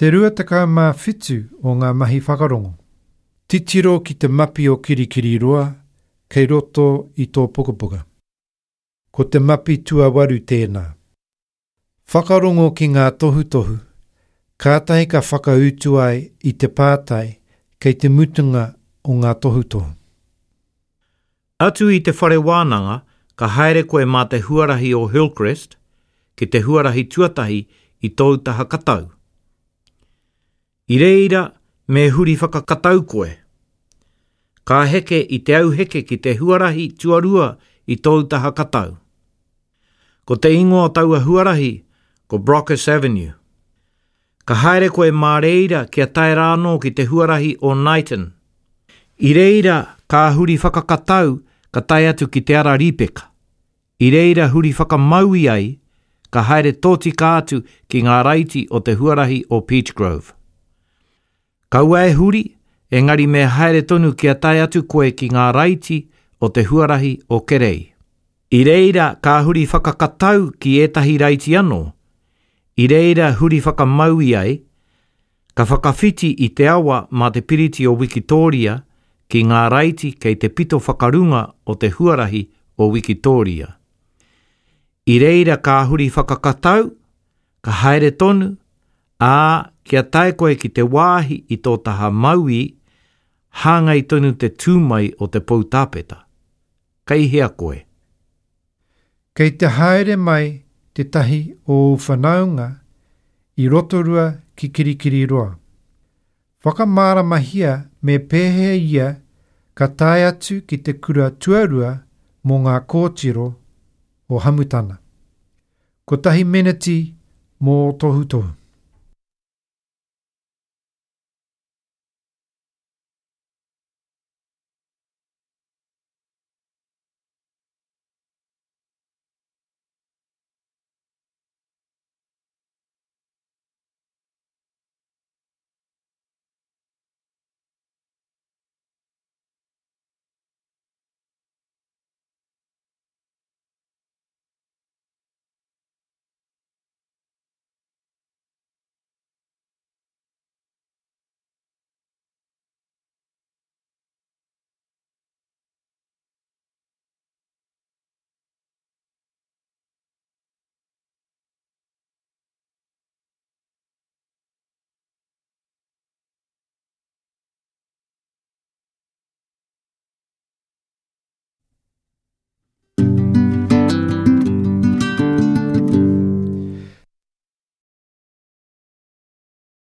Te 27 o ngā mahi whakarongo. Titiro ki te mapi o Kirikiriroa kei roto i tō pukapuka. Ko te mapi tuawaru tēnā. Whakarongo ki ngā tohutohu, kātahi ka whakautu ai i te pātai kei te mutunga o ngā tohutohu. Atu i te whare wānanga, ka haere koe mā te huarahi o Hillcrest ki te huarahi tuatahi i tōu taha katau. I reira me huri whakakatau koe. Ka heke i te auheke ki te huarahi tuarua i tōu taha katau. Ko te ingoa o taua huarahi ko Brocas Avenue. Ka haere koe mā reira kia tae rā anō ki te huarahi o Knighton. I reira ka huri whakakatau ka tae atu ki te ara Rīpeka. I reira huri whakamaui ai, ka haere tōtika atu ki ngā raiti o te huarahi o Peachgrove. Kaua e huri, engari me haere tonu kia tae atu koe ki ngā raiti o te huarahi o Kerei. I reira ka huri whakakatau ki ētahi raiti anō, i reira huri whakamaui ai, Ka whakawhiti i te awa mā te Piriti o Wikitōria ki ngā raiti kei te pito whakarunga o te huarahi o Wikitōria. I reira ka huri whakakatau, ka haere tonu, ā, kia tae koe ki te wāhi i tō taha mauī, hāngai tonu te tū mai o te poutāpeta. Kei hea koe? Kei te haere mai tētahi o ōu whanaunga i Rotorua ki Kirikiriroa. Whakamāramahia me pēhea ia ka tae atu ki te kura tuarua mō ngā kōtiro o Hamutana. Kotahi meneti mō ō tohutohu.